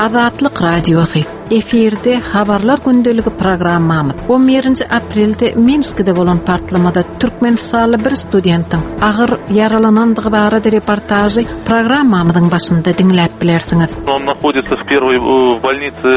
Azatlyk Radiosy, Efirde Habarlar gündeligi programmamyz. On birinji aprelde Minskide bolan partlamada türkmenistanly bir studentiň agyr ýaralanandygy barada reportažy programmamyzyň başynda diňläp bilersiňiz. On nahodится в первой в больнице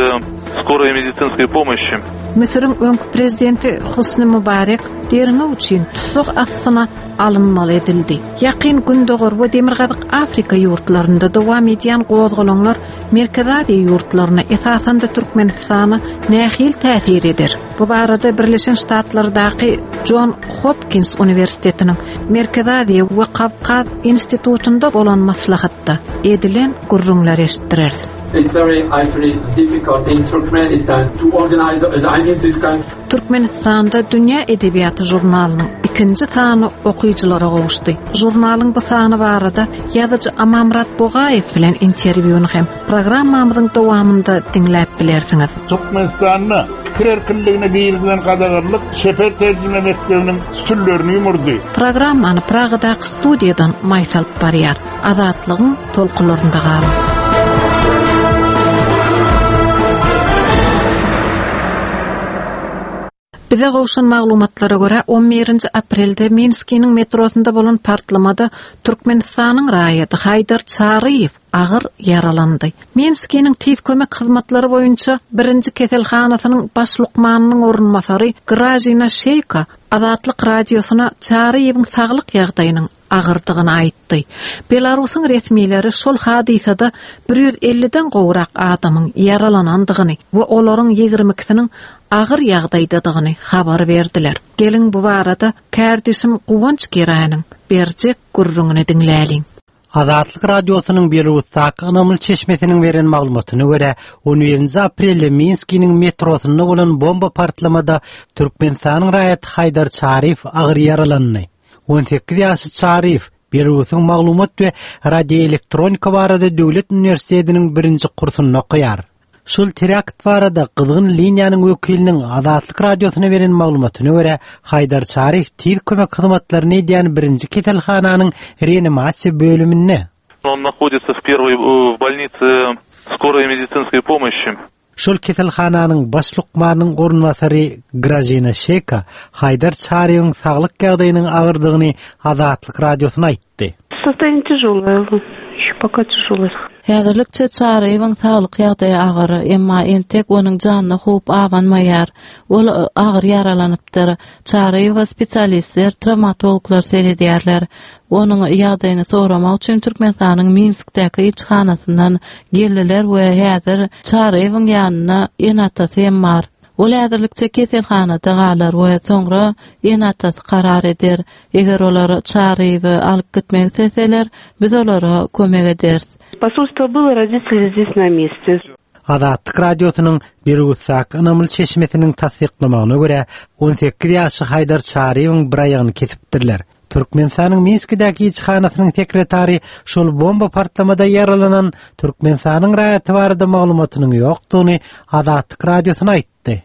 скорой медицинской помощи. Müsüriň öňki prezidenti Husni Mubarek derňew üçin tussag astyna alynmaly edildi. Ýakyn Gündogar we Demirgazyk Afrika ýurtlarynda dowam edýän gozgalaňlar Merkezi Aziýa ýurtlaryna, esasan-da Türkmenistana nähili täsir eder? Bu barada Birleşen Ştatlardaky Jon Hopkins uniwersitetiniň Merkezi Aziýa we Kawkaz institutynda bolan maslahatda edilen gürrüňleri eşitdireris. It's very actually difficult in Turkmenistan to organize I mean this kind Türkmenistanda Dünýä edebiýaty žurnalynyň ikinji sany okyjylara gowuşdy. Žurnalyň bu sany barada ýazyjy Amanmyrat Bogaýew bilen interwýuny hem programmamyzyň dowamynda diňläp bilersiňiz. Türkmenistanda pikir erkinligine girizilen gadaganlyk çeper terjime mekdebiniň sütünlerini ýumurdy. Programmany Pragadaky studiýadan Maýsa alyp barýar. Azatlygyň tolkunlarynda galyň. Bize gowşan maglumatlara görä, on birinji aprelde Minskiniň metrosynda bolan partlamada Türkmenistanyň raýaty Haýdar Çaryýew agyr ýaralandy. Minskiniň tiz kömek hyzmatlary boýunça birinji keselhanasynyň baş lukmanynyň orunbasary Gražina Şeýka Azatlyk Radiosyna Çaryýewiň saglyk ýagdaýynyň agyrdygyny aýtdy. Belarusyň resmileri şol hadysada 150-den gowrak adamyň ýaralanandygyny we olaryň 22-siniň agyr ýagdaýdadygyny habar berdiler. Geliň bu barada kärdeşim Guwanç Geräniň berjek gürrüňini diňläliň. Azatlyk Radiosynyň Belarusdaky ynamly çeşmesiniň beren maglumatyna görä, on birinji aprelde Minskiniň metrosynda bolan bomba partlamada Türkmenistanyň raýaty Haýdar Çaryýew agyr ýaralandy. 18 ýaşly Çaryýew Belarusyň Maglumat we radioelektronika barada döwlet uniwersitetiniň birinji kursunda okaýar. Şol terakt barada gyzgyn liniýanyň wekiliniň Azatlyk Radiosyna beren maglumatyna görä, Haýdar Çaryýew tiz kömek hyzmatlaryny edýän birinji keselhananyň reanimasiýa bölüminde. On nahodится в первой в больнице скорой медицинской помощи. Şol keselhananyň baş lukmanynyň orunbasary Gražina Şeka Haýdar Çaryýewiň saglyk ýagdaýynyň agyrdygyny Azatlyk Radiosyna aýtdy. Sostoýaniýe týažoloe, ýeşe poka týažoloe. Häzirlikçe Çaryýewiň saglyk ýagdaýy agyr, emma entek onuň janyna howp abanmaýar. Ol agyr ýaralanypdyr. Çaryýewe spesialistler, trawmatologlar seredýärler. Onuň ýagdaýyny soramak üçin Türkmenistanyň Minskdäki ilçihanasyndan geldiler we häzir Çaryýewiň ýanynda ene-atasy hem bar. Ol häzirlikçe keselhanada galar we soňra ene-atasy karar eder. Eger olar Çaryýewi alyp gitmek isleseler, biz olara kömek ederis. Posolstwo bylo, roditeli zdes na meste. Azatlyk Radiosynyň Belarusdaky ynamly çeşmesiniň tassyklamagyna görä, 18 ýaşly Haýdar Çaryýewiň bir aýagyny kesipdirler. Türkmenistanyň Minskidäki ilçihanasynyň sekretary şol bomba partlamada ýaralanan Türkmenistanyň raýaty barada maglumatynyň ýokdugyny Azatlyk Radiosyna aýtdy.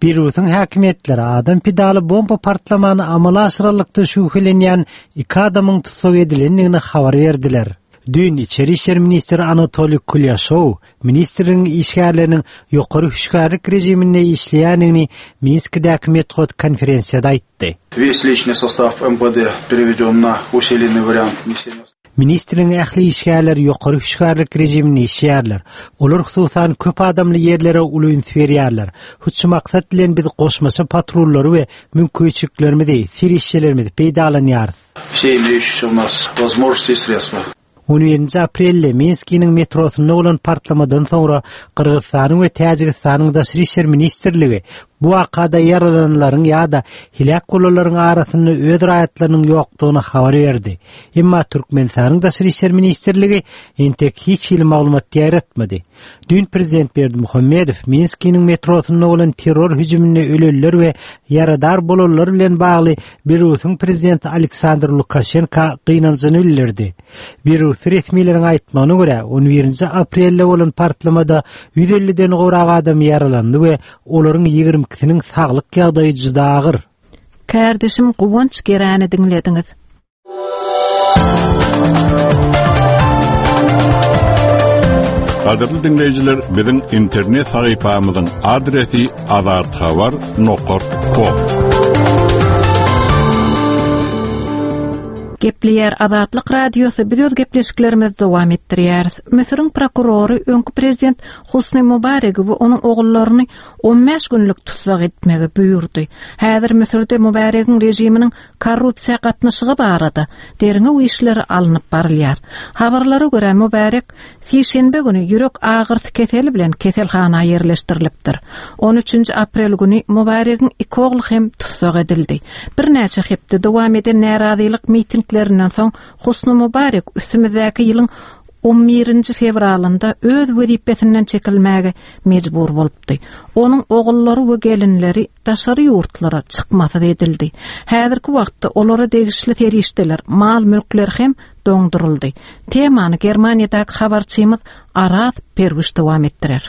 Beýrutyň häkimiýetleri adam pidaly bomba partlamany amala aşyranlykda şübhelenýän iki adamyň tussag edilendigini habar berdiler. Düýn içeri işler ministri Anatoliý Kulýaşow ministrligiň işgärleriniň ýokary hüşgärlik režiminde işleýändigini Minskidäki metbugat konferensiýada aýtdy. Wes liçnyý sostaw MWD pereweden na usilennyý wariant neseniýa. Ministrligiň ähli işgärleri ýokary hüşgärlik režiminde işleýärler. Olar hususan köp adamly ýerlere uly üns berýärler. Hut şu maksat bilen biz goşmaça patrullary we mümkinçiliklerimizi, serişdelerimizi peýdalanýarys. Wse imeýuşiýse u nas wozmožnosti i sredstwa. On birinji aprelde Minskiniň metrosynda bolan partlamadan soňra Gyrgyzystanyň we Täjigistanyň Daşary işler ministrligi bu wakada ýaralananlaryň ýa-da heläk bolanlaryň arasynda öz raýatlarynyň ýokdugyny habar berdi. Emma Türkmenistanyň Daşary işler ministrligi entek hiç hili maglumat ýaýratmady. Düýn prezident Berdimuhamedow Minskiniň metrosynda bolan terror hüjüminde ölenler we ýaradar bolanlar bilen bagly Belarusyň prezidenti Aleksandr Lukaşenka gynanjyny bildirdi. Belarusly resmileriň aýtmagyna görä, on birinji aprelde bolan partlamada 150-den gowrak adam ýaralandy we olaryň 22-siniň saglyk ýagdaýy juda agyr. Kärdeşim Guwanç Geräni diňlediňiz. Gadyrly diňleýjiler, biziň internet sahypamyzyň adresi azathabar nokat kom. Gepleýär Azatlyk Radiosy biz öz gepleşiklerimizi dowam etdirýäris. Müsüriň prokurory öňki prezident Husni Mubaregi we onuň ogullaryny 15 günlük tussag etmegi buýurdy. Häzir Müsürde Mubaregiň režiminiň korrupsiýa gatnaşygy barada derňew işleri alnyp barylýar. Habarlara görä, Mubarek sişenbe güni ýürek agyrysy keseli bilen keselhana ýerleşdirilipdir. On üçünji aprel güni Mubaregiň iki ogly hem tussag edildi. Birnäçe hepde dowam eden närazylyk mitinglerinden soň Husni Mubarek üstümizdäki ýylyň on birinji fewralynda öz wezipesinden çekilmäge mejbur bolupdy. Onuň ogullary we gelinleri daşary ýurtlara çykmasyz edildi. Häzirki wagtda olara degişli serişdeler, mal-mülkler hem doňduryldy. Temany Germaniýadaky habarçymyz Araz Perwiş dowam etdirer.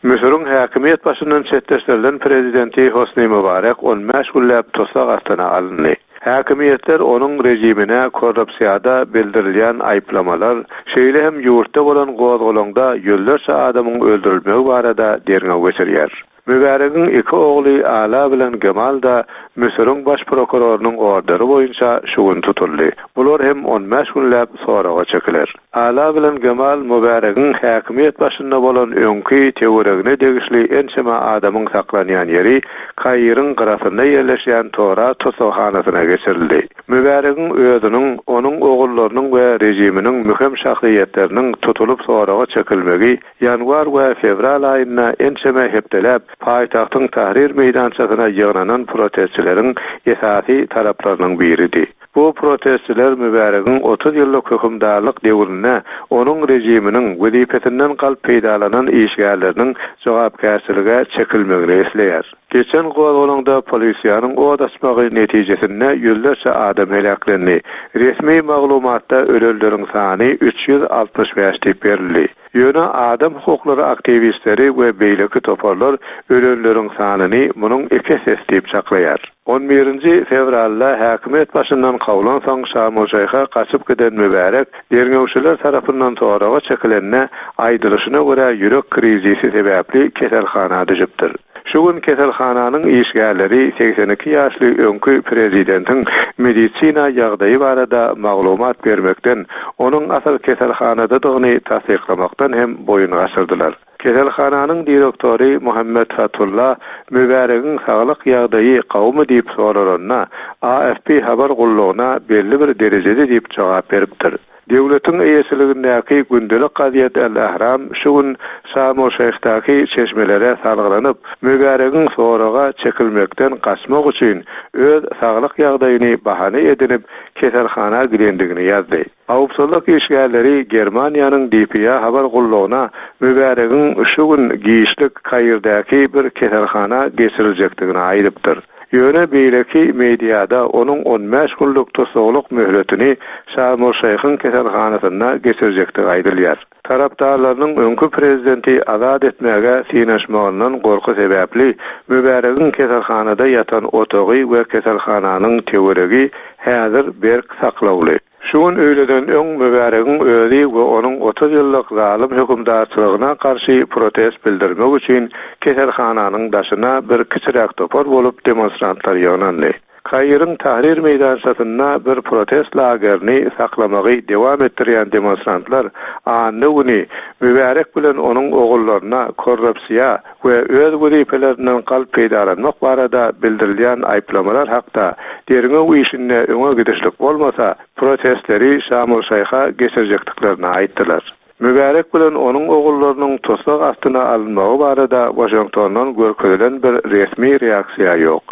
Müsüriň häkimiýet başyndan çetleşdirilen prezidenti Hosni Mubarek on bäş günläp tussag astyna alyndy. Häkimiýetler onuň režimine korrupsiýada bildirilýän aýyplamalar, şeýle hem ýurtda bolan gozgalaňda ýüzlerçe adamyň öldürilmegi barada derňew geçirýär. Mübäregiň iki ogly Ala bilen Gemal-da Müsüriň baş prokurorynyň orderi boýunça şu gün tutuldy. Bular hem on bäş günläp soraga çekiler. Ala bilen Gemal Mübäregiň häkimiýet başynda bolan öňki töweregine degişli ençeme adamyň saklanýan ýeri Kairiň gyrasynda ýerleşýän Tora tussaghanasyna geçirildi. Mübäregiň özüniň, onuň ogullarynyň we režiminiň möhüm şahsyýetleriniň tutulyp soraga çekilmegi Ýanwar we fewral aýynda ençeme hepdeläp paýtagtyň Tahrir meýdançasyna ýygnanan protestçileriň esasy talaplarynyň biridi. Bu protestçiler Mübäregiň 30 ýyllyk hökümdarlyk döwründe onuň režiminiň wezipesinden galp peýdalanan işgärleriniň jogapkärçilige çekilmegini isleýär. Geçen gozgalaňda polisiýanyň ot açmagy netijesinde ýüzlerçe adam heläklendi. Resmi maglumatda ölenleriň sany 365 diýip berildi. Ýöne adam hukuklary aktiwistleri we beýleki toparlar ölenleriň sanyny munuň iki essesi diýip çaklaýar. On birinji fewralda häkimiýet başyndan kowlansoň Şarm-el-Şeýhe gaçyp giden Mübärek derňewçiler tarapyndan soraga çekilende, aýdylyşyna görä ýürek krizisi sebäpli keselhana düşüpdir. Şu gün keselhananyň işgärleri 82 ýaşly öňki prezidentiň medisina ýagdaýy barada maglumat bermekden, onuň asyl keselhanadadygyny tassyklamakdan hem boýun gaçyrdylar. Keselhananyň direktory Muhammet Fatullah Mübäregiň saglyk ýagdaýy gowumy diýip soralanda, AFP habar gullugyna belli bir derejede diýip jogap beripdir. Döwletiň eýeçiligindäki gündelik gazet Al-Ahram şu gün Şarm-el-Şeýhdaky çeşmelere salgylanyp, Mübäregiň soraga çekilmekden gaçmak üçin öz saglyk ýagdaýyny bahana edinip, keselhana gidendigini ýazdy. Howpsuzlyk işgärleri Germaniýanyň dpa habar gullugyna Mübäregiň şu gün giçlik Kairdäki bir keselhana geçiriljekdigini aýdypdyr. Ýöne beýleki mediada onuň on bäş günlük tussaglyk möhletini Şarm-el-Şeýhiň keselhanasynda geçirjekdigi aýdylýar. Tarapdarlarynyň öňki prezidenti azat etmäge synanyşmagyndan gorky sebäpli Mübäregiň keselhanada ýatan otagy we keselhananyň töweregi häzir berk saklawly. Şu gün öýleden öň Mübäregiň özi we onuň 30 ýyllyk zalym hökümdarçylygyna garşy protest bildirmek üçin keselhananyň daşyna bir kiçiräk topar bolup demonstrantlar ýygnandy. Kairiň Tahrir meýdançasynda bir protest lagerini saklamagy dewam etdirýän demonstrantlar anna güni Mübärek bilen onuň ogullaryna korrupsiýa we öz wezipelerinden galp peýdalanmak barada bildirilýän aýyplamalar hakda derňew işinde öňe gidişlik bolmasa, protestleri Şarm-el-Şeýha geçirjekdiklerini aýtdylar. Mübärek bilen onuň ogullarynyň tussag astyna alynmagy barada Waşingtondan görkezilen bir resmi reaksiýa ýok.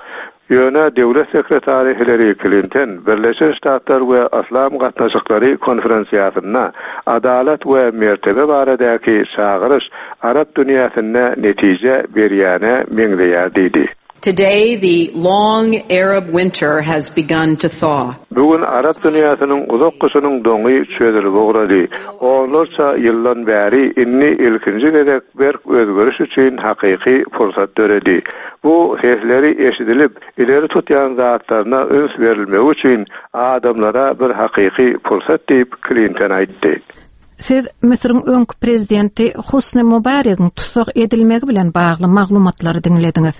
Ýöne döwlet sekretary Hillari Klinton Birleşen Ştatlar we Yslam gatnaşyklary konferensiýasynda adalat we mertebe baradaky çagyryş arap dünýäsinde netije berýäne meňzeýär diýdi. Today the long Arab winter has begun to thaw. Bu gün arap dünýäsiniň uzak gyşynyň doňy çözülip ugrady. Onlarça ýyldan bäri indi ilkinji gezek berk özgeriş üçin hakyky pursat döredi. Bu sesleri eşidilip, ileri tutýan zatlaryna üns berilmegi üçin adamlara bir hakyky pursat diýip, Klinton aýtdy. Siz Müsüriň öňki prezidenti Husni Mubaregiň tussag edilmegi bilen bagly maglumatlary diňlediňiz.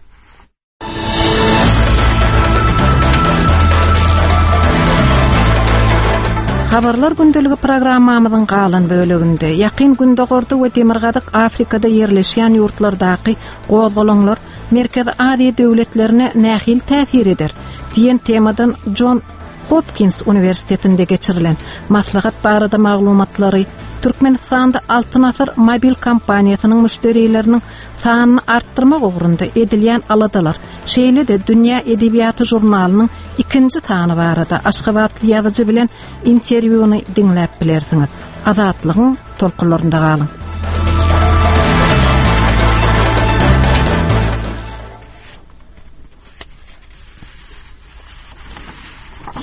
Habarlar gündeligi programmamyzyň galan böleginde Ýakyn Gündogarda we Demirgazyk Afrikada ýerleşýän ýurtlardaky gozgalaňlar Merkezi Aziýa döwletlerine nähili täsir eder diýen temadan Jon Hopkins uniwersitetinde geçirilen maslahat barada maglumatlary Türkmenistanda Altyn Asyr mobil kompaniýasynyň müşderileriniň sanyny artdyrmak ugrunda edilýän aladalar, şeýle-de Dünýä edebiýaty žurnalynyň ikinji sany barada aşgabatly ýazyjy bilen interwýuny diňläp bilersiňiz. Azatlygyň tolkunlarynda galyň.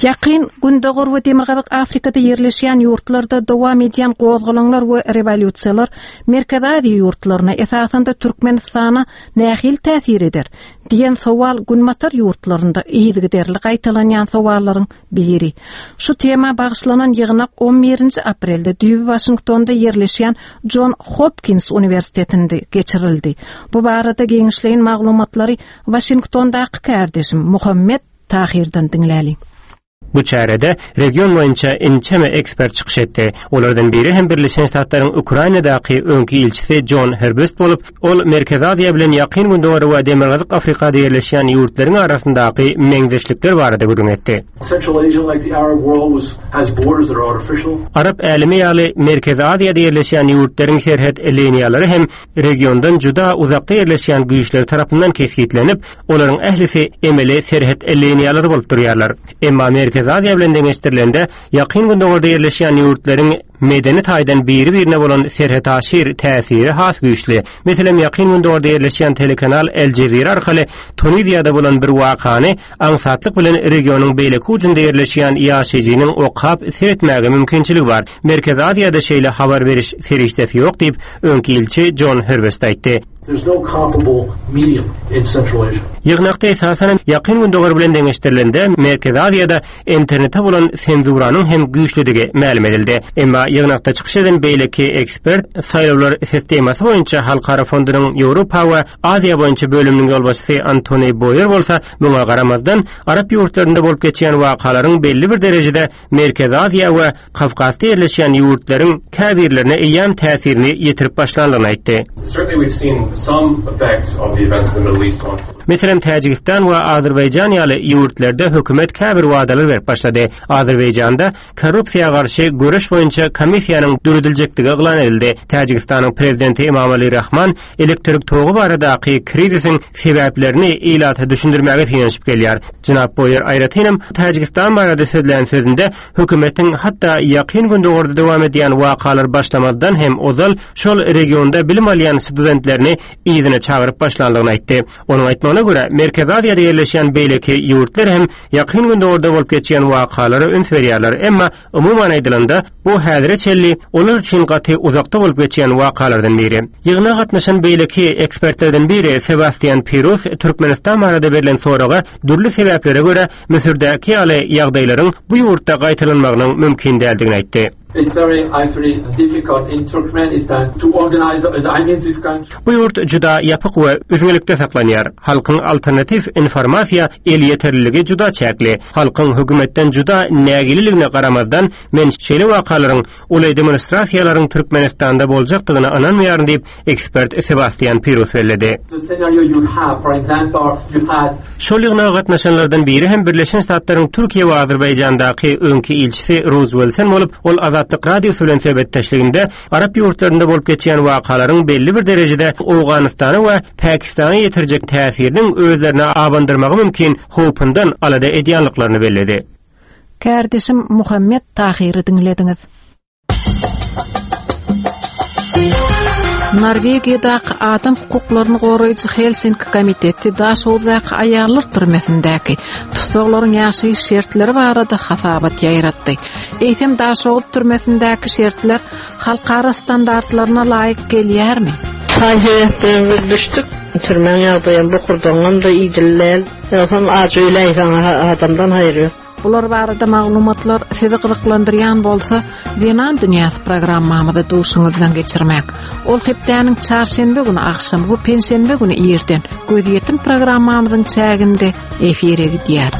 Ýakyn Gündogar we Demirgazyk Afrikada ýerleşýän ýurtlarda dowam edýän gozgalaňlar we rewolýusiýalar Merkezi Aziýa ýurtlaryna, esasan-da Türkmenistana nähili täsir eder? diýen sowal Günbatar ýurtlarynda yzygiderli gaýtalanýan sowallaryň biri. Şu tema bagyşlanan ýygnak on birinji aprelde düýbi Waşingtonda ýerleşýän Jon Hopkins uniwersitetinde geçirildi. Bu barada giňişleýin maglumatlary Waşingtondaky kärdeşim Muhammet Tahyrdan diňläliň. Bu çärede region boýunça ençeme ekspert çykyş etdi. Olardan biri hem Birleşen Ştatlaryň Ukrainadaky öňki ilçisi Jon Herbst bolup, ol Merkezi Aziýa bilen Ýakyn Gündogar we Demirgazyk Afrikada ýerleşýän ýurtlaryň arasyndaky meňzeşlikler barada gürrüň etdi. Arap älemi ýaly Merkezi Aziýada ýerleşýän ýurtlaryň serhet liniýalary hem regiondan juda uzakda ýerleşýän güýçler tarapyndan kesgitlenip, olaryň ählisi emeli serhet liniýalary bolup durýarlar. Emma Merkezi Aziýa bilen deňeşdirilende, Ýakyn Gündogarda ýerleşýän ýurtlaryň medeni taýdan biri-birine bolan serhetaşyr täsiri has güýçli. Meselem, Ýakyn Gündogarda ýerleşýän telekanal El Jezira arkaly Tuniziýada bolan bir wakany aňsatlyk bilen regionyň beýleki ujunda ýerleşýän ýaşaýjynyň okap, seretmäge mümkinçiligi bar. Merkezi Aziýada şeýle habar beriş serişdesi ýok diýip, öňki ilçi Jon Herbst aýtdy. Ýygnakda esasanam Ýakyn Gündogar bilen deňeşdirilende Merkezi Aziýada internete bolan senzuranyň hem güýçlüdigi mälim edildi. Emma ýygnakda çykyş eden beýleki ekspert saýlawlar sistemasy boýunça Halkara fondunyň Ýewropa we Aziýa boýunça bölüminiň ýolbaşçysy Antoni Boýer bolsa muňa garamazdan arap ýurtlarynda bolup geçýän wakalaryň belli bir derejede Merkezi Aziýa we Kawkazda ýerleşýän ýurtlaryň käbirlerine eýýäm täsirini ýetirip başlandygyny aýtdy. Meselem, Täjigistan we Azerbaýjan ýaly ýurtlarda hökümet käbir wadalar berip başlady. Azerbaýjanda korrupsiýa garşy göreş boýunça komissiýanyň dörediljekdigi yglan edildi. Täjigistanyň prezidenti Emomali Rahman elektrik togy baradaky krizisiň sebäplerini ilata düşündirmäge synanyşyp gelýär. Jenap Boýer aýratynam Täjigistan barada sözlän sözünde hökümetiň hatda Ýakyn Gündogarda dowam edýän wakalar başlamazdan hem ozal şol regionda bilim alýan studentlerini yzyna çagyryp başlandygyny aýtdy. Onuň aýtmagyna görä, Merkezi Aziýada ýerleşýän beýleki ýurtlar hem Ýakyn Gündogarda bolup geçýän wakalara üns berýärler, emma Umuman aýdylanda, bu häzire çenli olar üçin gaty uzakda bolup geçýän wakalardan biri. Ýygnaga gatnaşan beýleki ekspertlerden biri Sebastian Pirus Türkmenistan barada berlen soraga dürli sebäplere görä Müsürdäki ýaly ýagdaýlaryň bu ýurtda gaýtalanmagynyň mümkin däldigini aýtdy. Bu ýurt juda ýapyk we üzňelikde saklanýar. Halkyň alternatiw informasiýa elýeterliligi juda çäkli. Halkyň hökümetden juda nägileligine garamazdan, men şeýle wakalaryň, uly demonstrasiýalaryň Türkmenistanda boljakdygyna ynanmaýaryn diýip, ekspert Sebastian Pirus belledi. Şol ýygnaga gatnaşanlardan biri hem Birleşen Ştatlaryň Türkiýe we Azerbaýjandaky öňki ilçisi Ruz Wilson bolup, ol Azatlyk Radiosy bilen söhbetdeşliginde Arap ýurtlarynda bolup geçýän wakalaryň belli bir derejede Owganystana we Pakistana ýetirjek täsiriniň özlerine abandyrmagy mümkin howpundan alada edýänliklerini belledi. Kärdeşim Muhammet Tahyry diňlediňiz. Norwegiýadaky adam hukuklaryny goraýjy Helsinki komiteti Daşoguzdaky aýallar türmesindäki tussaglaryň ýaşaýyş şertleri barada hasabat ýaýratdy. Eýsem Daşoguz türmesindäki şertler halkara standartlaryna laýyk gelýärmi? Saý-sebäpden biz düşdük. Türmäň ýagdaýam bokurdagyňam-da idili däl. Ýogsam aç öläýseň adamdan haýyr ýok. Bular barada maglumatlar sizi gyzyklandyrýan bolsa, Zenan dünýäsi programmamyzy duşuňyzdan geçirmäň. Ol hepdäniň çarşenbe güni agşam we penşenbe güni irden Gözýetim programmamyzyň çäginde efire gidýär.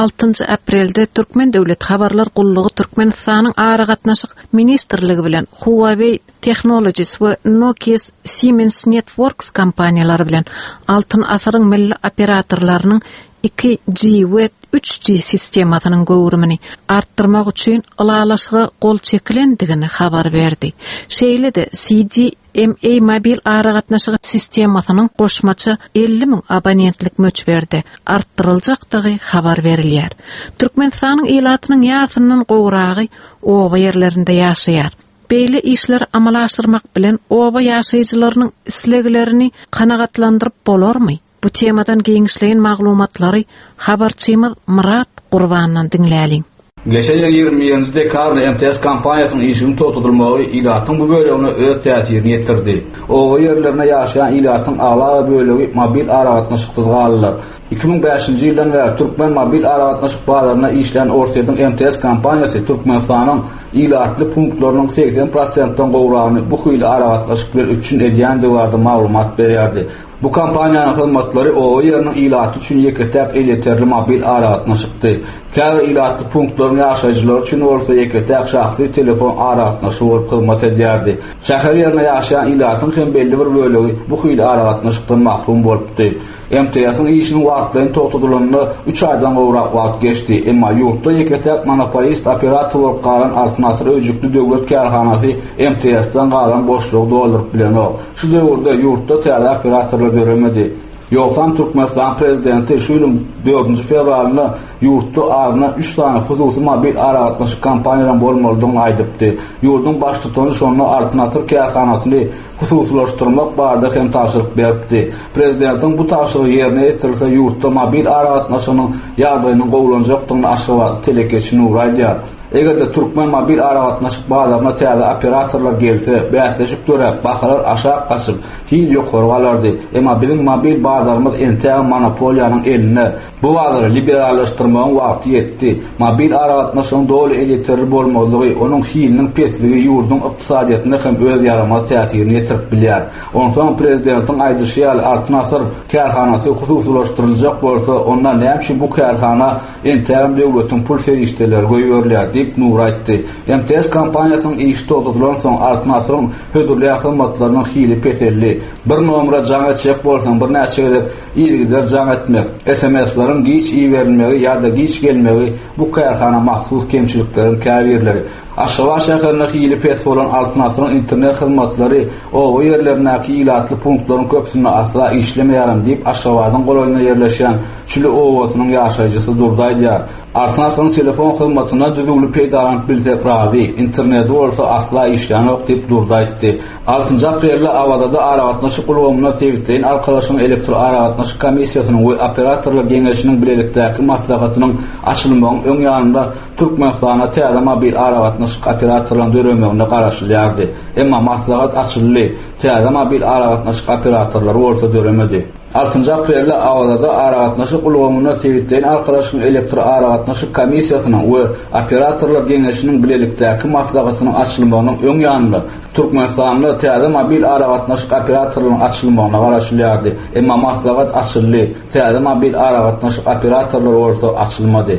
Altynjy aprelde Türkmen döwlet habarlar gullugy Türkmenistanyň Aragatnaşyk ministrligi bilen Huawei Technologies we Nokia Siemens Networks kompaniýalary bilen Altyn asyryň milli operatorlarynyň 2G we 3G sistemasynyň göwrümini artdyrmak üçin ylalaşyga gol çekilendigini habar berdi. Şeýle-de CDMA mobil aragatnaşygy sistemasynyň goşmaça 50 müň abonentlik möçberde artdyryljakdygy habar berilýär. Türkmenistanyň ilatynyň ýarysyndan gowragy oba ýerlerinde ýaşaýar. Beýle işleri amala aşyrmak bilen oba ýaşaýjylarynyň isleglerini kanagatlandyryp bolarmy? Bu temadan giňişleýin maglumatlary habarçymyz Myrat Gurbandan diňläliň. Geçen ýylyň 21-nji dekabrynda MTS kompaniýasynyň işiniň togtadylmagy ilatyň bu bölegine öz täsirini ýetirdi. Oba ýerlerinde ýaşaýan ilatyň aglaba bölegi mobil aragatnaşyksyz galdylar. 2005-nji ýyldan bäri türkmen mobil aragatnaşyk bazarynda işleýän Orsýetiň MTS kompaniýasy Türkmenistanyň ilatly punktlarynyň 80 prosentden gowragyny bu hili aragatnaşyk bilen üpjün edýändigi barada maglumat berýärdi. Bu kompaniýanyň hyzmatlary oba ýeriniň ilaty üçin ýeke-täk elýeterli mobil aragatnaşykdy. Käbir ilatly punktlaryň ýaşaýjylary üçin bolsa ýeke-täk şahsy telefon aragatnaşygy bolup hyzmat edýärdi. Şäher ýerinde ýaşaýan ilatyň hem belli bir bölegi bu hili aragatnaşykdan mahrum bolupdy. MTS-iň işiniň wagtlaýyn togtadylanyna üç aýdan gowrak wagt geçdi. Emma ýurtda ýeke-täk monopolist operator bolup galan Altyn Asyr öýjükli döwlet kärhanasy MTS-den galan boşlugy dolduryp bilenok. Şu döwürde ýurtda täze operatorlar döremedi. Ýogsam Türkmenistanyň prezidenti şu ýylyň dördünji fewralynda ýurtda azyndan üç sany hususy mobil aragatnaşyk kompaniýalaryň bolmalydygyny aýdypdy. Ýurduň baştutany şonda Altyn Asyr kärhanasyny hususylaşdyrmak barada hem tabşyryk beripdi. Prezidentiň bu tabşyrygy ýerine ýetirilse ýurtda mobil aragatnaşygynyň ýagdaýynyň gowulanjakdygyny aşgabatly telekeçi Nury aýdýar. Eger-de türkmen mobil aragatnaşyk bazaryna täze operatorlar gelse, bäsleşik döräp, bahalar aşak gaçyp, hil ýokary galardy. Emma biziň mobil bazarymyz entägem monopoliýanyň elinde. Bu bazary liberallaşdyrmagyň wagty ýetdi. Mobil aragatnaşygyň doly elýeterli bolmazlygy, onuň hiliniň pesligi ýurduň ykdysadyýetine hem öz ýaramaz täsirini ýetirip bilýär. Onsoň prezidentiň aýdyşy ýaly Altyn asyr kärhanasy hususylaşdyryljak bolsa, onda näme üçin bu kärhana entägem döwletiň pul serişdeleri goýberilýär diýip, Nury aýtdy. MTS kompaniýasynyň işi togtadylansoň Altyn asyryň hödürleýän hyzmatlarynyň hili peseldi. Bir nomere jaň etjek bolsaň birnäçe gezek Yzygider jaň etmek, SMS-leriň giç iberilmegi ýa-da giç gelmegi bu kärhana mahsus kemçilikleriň käbirleri. Aşgabat şäherinde hili pes bolan Altyn asyryň internet hyzmatlary oba ýerlerindäki ilatly punktlaryň köpüsinde asla işlemeýärem diýip, Aşgabadyň golaýynda ýerleşýän Çüli obasynyň ýaşaýjysy Durdy aýdýar. Altyn asyryň telefon hyzmatyndan düzüwli peýdalanyp bilsek razy, interneti bolsa asla işlänok diýip, Durdy aýtdy. Altynjy aprelde Awazada aragatnaşyk ulgamynda sebitleýin arkalaşygyň elektroaragatnaşyk komissiýasynyň we operatorlar geňeşiniň bilelikdäki maslahatynyň açylmagyň öň ýanynda Türkmenistanda täze mobil aragatnaşyk operatorlaryň döremegine garaşylýardy. Emma maslahat açyldy, täze mobil aragatnaşyk operatorlary bolsa döremedi. Altynjy aprelde Awazada aragatnaşyk ulgamynda sebitleýin arkalaşygyň elektroaragatnaşyk komissiýasynyň we operatorlar geňeşiniň bilelikdäki maslahatynyň açylmagynyň öň ýanynda Türkmenistanda täze mobil aragatnaşyk operatorlarynyň açylmagyna garaşylýardy. Emma maslahat açyldy, täze mobil aragatnaşyk operatorlary bolsa açylmady.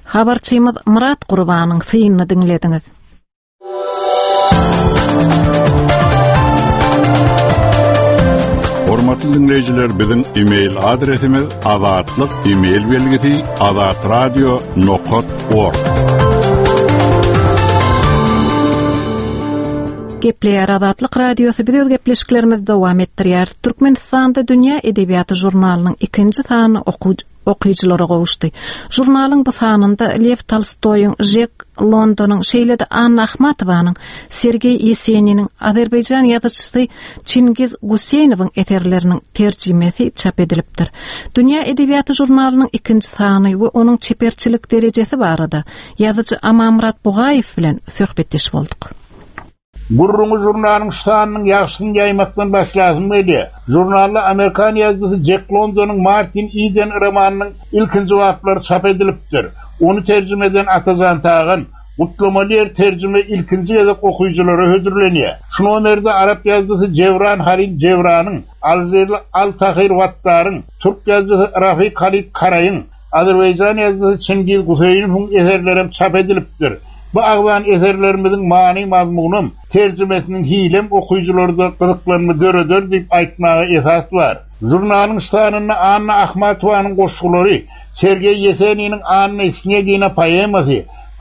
Habarçymyz Myrat Gurbanyň synyny diňlediňiz. Hormatly diňleýjiler, biziň e-mail adresimiz azatlyk e-mail belgisi azatradio nokat org. Gepleýär Azatlyk Radiosy biz öz gepleşiklerimizi dowam etdirýäris. Türkmenistanda Dünýä edebiýaty žurnalynyň ikinji sany okyjylara gowuşdy. Žurnalyň bu sanynda Lew Tolstoýyň, Žek Londonyň, şeýle-de Anna Ahmatowanyň, Sergeý Ýeseniniň, azerbaýjan ýazyjysy Çingiz Guseýnowyň eserleriniň terjimesi çap edilipdir. Dünýä edebiýaty žurnalynyň ikinji sany we onuň çeperçilik derejesi barada ýazyjy Amanmyrat Bugaýew bilen söhbetdeş bolduk. Gürrüňi žurnalyň şu sanynyň ýagşysyny ýaýmakdan başlasym gelýär. Žurnalda amerikan ýazyjysy Jek Londonyň Martin Iden romanynyň ilkinji baplary çap edilipdir. Ony terjime eden Atajan Tagan, Gutlamaly ýeri terjime ilkinji gezek okyjylara hödürlenýär. Şu nomerde arap ýazyjysy Jebran Halil Jebranyň, alžirli Al Tahyr Wattaryň, türk ýazyjysy Rafik Halit Karaýyň, azerbaýjan ýazyjysy Çingiz Guseýnowyň eserlerem çap edilipdir. Bu agzan eserlerimiziň many-mazmunam, terjimesiniň hilem okyjylarda gyzyklanma döreder diýip aýtmaga esas bar. Žurnalyň şu sanynda Anna Ahmatowanyň goşgulary, Sergeý Ýeseniniň Anna Snegina poemasy,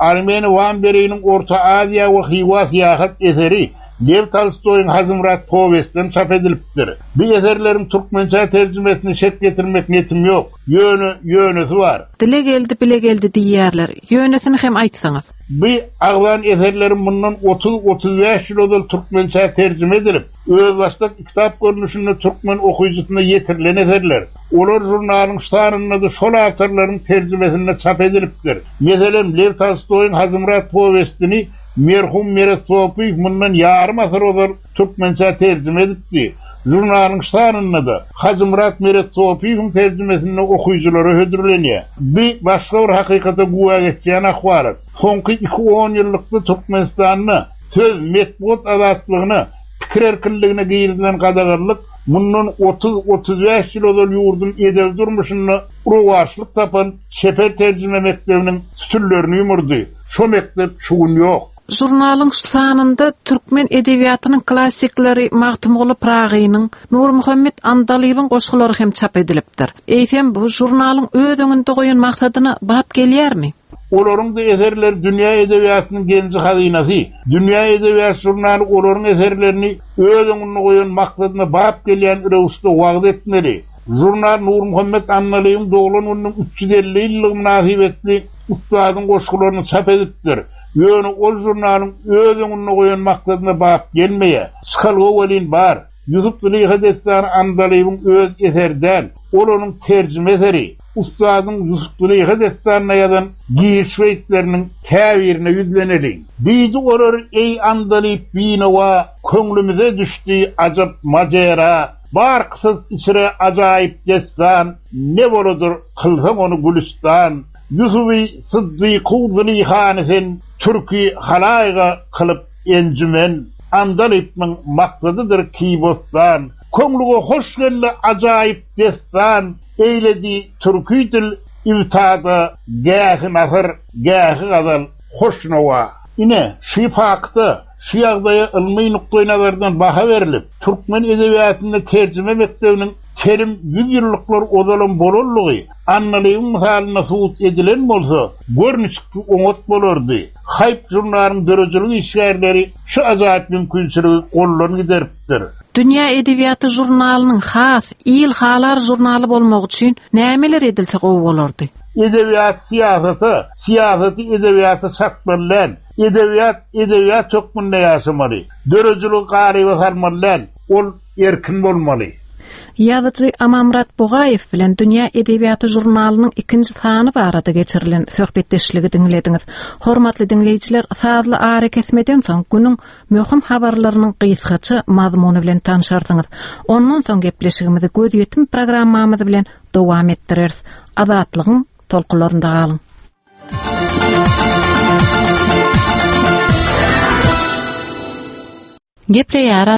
Armeni Wamberiniň Orta Aziýa we Hywa syýahat eseri, Lew Tolstoýyň Hajymyrat powestem çap edilipdir. Bu eserleriň türkmençä terjimesine şek getirmek netim ýok. Ýöne, ýönesi bar. Dile geldi, bile geldi diýýärler. Ýönesini hem aýtsaňyz. Bu agzan eserlerim mundan otuz-otuzbäş ýyl ozal türkmençä terjime edilip, özbaşdak kitap görnüşinde türkmen okyjysyna ýetirilen eserler. Olar žurnalyň şu sanynda-da şol awtorlaryň terjimesinde çap edilipdir. Meselem, Lew Tolstoýyň Hajymyrat powestini merhum Meret Sopyýew mundan ýarym asyr ozal türkmençä terjime edipdi. Žurnalyň şu sanynda-da Hajymyrat Meret Sopyýewiň terjimesinde okyjylara hödürlenýär. Bu başga bir hakykata güwä geçýän ahwalat. Soňky iki onýyllykda Türkmenistanda söz, metbugat azatlygyna, pikir erkinligine girizilen gadaganlyk mundan otuz-otuzbäş ýyl ozal ýurduň edebi durmuşynda rowaçlyk tapan çeper terjime mekdebiniň sütünlerini ýumurdy. Şo mekdep şu gün ýok. Žurnalyň şu sanynda türkmen edebiýatynyň klassikleri Magtymguly Pyragynyň, Nurmuhammet Andalybyň goşgulary hem çap edilipdir. Eýsem, bu žurnalyň öz öňünde goýan maksadyna bap gelýärmi? Olaryň-da eserleri dünýä edebiýatynyň genji-hazynasy. Dünýä edebiýaty žurnaly olaryň eserlerini öz öňünde goýan maksadyna bap gelýän röwüşde wagyz etmeli. Žurnal Nurmuhammet Annalyýewiň doglan gününiň 350 ýyllygy mynasybetli ussadyň goşgularyny çap edipdir. Ýöne ol žurnalyň öz öňünde goýan maksadyna bap gelmeýär. Çykalga welin bar. Ýusup-Züleýha dessany Andalybyň öz eseri däl, ol onuň terjime eseri. Ussadyň Ýusup-Züleýha dessanyna ýazan giriş beýtleriniň käbirine ýüzleneliň. Diýdi olar, Eý Andalyp binowa, köňlümize düşdi ajap majera, Bar kysas içre ajaýyp dessan, ne boladyr kylsaň ony gülüstan. Ýusuby Syddyku Züleýhany sen türki halaýyga kylyp enjümen, Andalypnyň maksadydyr ki bossan, Köňlüge hoş geldi ajaýyp dessan, Eýledi türki dil ibtada gähi nasyr, gähi gazal, hoş nowa. Ine, şu fakta, şu ýagdaýa ylmy nukdaýnazardan baha berlip, türkmen edebiýatynda terjime mekdebiniň telim ýüzýyllyklar ozalam bolanlygy Andalybyň mysalynda subut edilen bolsa, gör niçiksi oňat bolardy. Haýp žurnalyň döredijilik işgärleri şu ajaýyp mümkinçiligi goldan gideripdir. Dünýä edebiýaty žurnalynyň has il halar žurnaly bolmagy üçin nämeler edilse gowy bolardy? Edebiýaty syýasata, syýasaty edebiýata çatmaly däl. Edebiýat edebiýat hökmünde ýaşamaly. Döredijiligi galyba salmaly däl. Ol erkin bolmaly. Ýazyjy Amanmyrat Bugaýew bilen Dünýä edebiýaty žurnalynyň ikinji sany barada geçirilen söhbetdeşligi diňlediňiz. Hormatly diňleýjiler, sazly arakesmeden soň günüň möhüm habarlarynyň gysgaça mazmuny bilen tanşarsyňyz. Ondan soň gepleşigimizi Gözýetim programmamyz bilen dowam etdireris. Azatlygyň tolkunlarynda galyň! Gepleýär.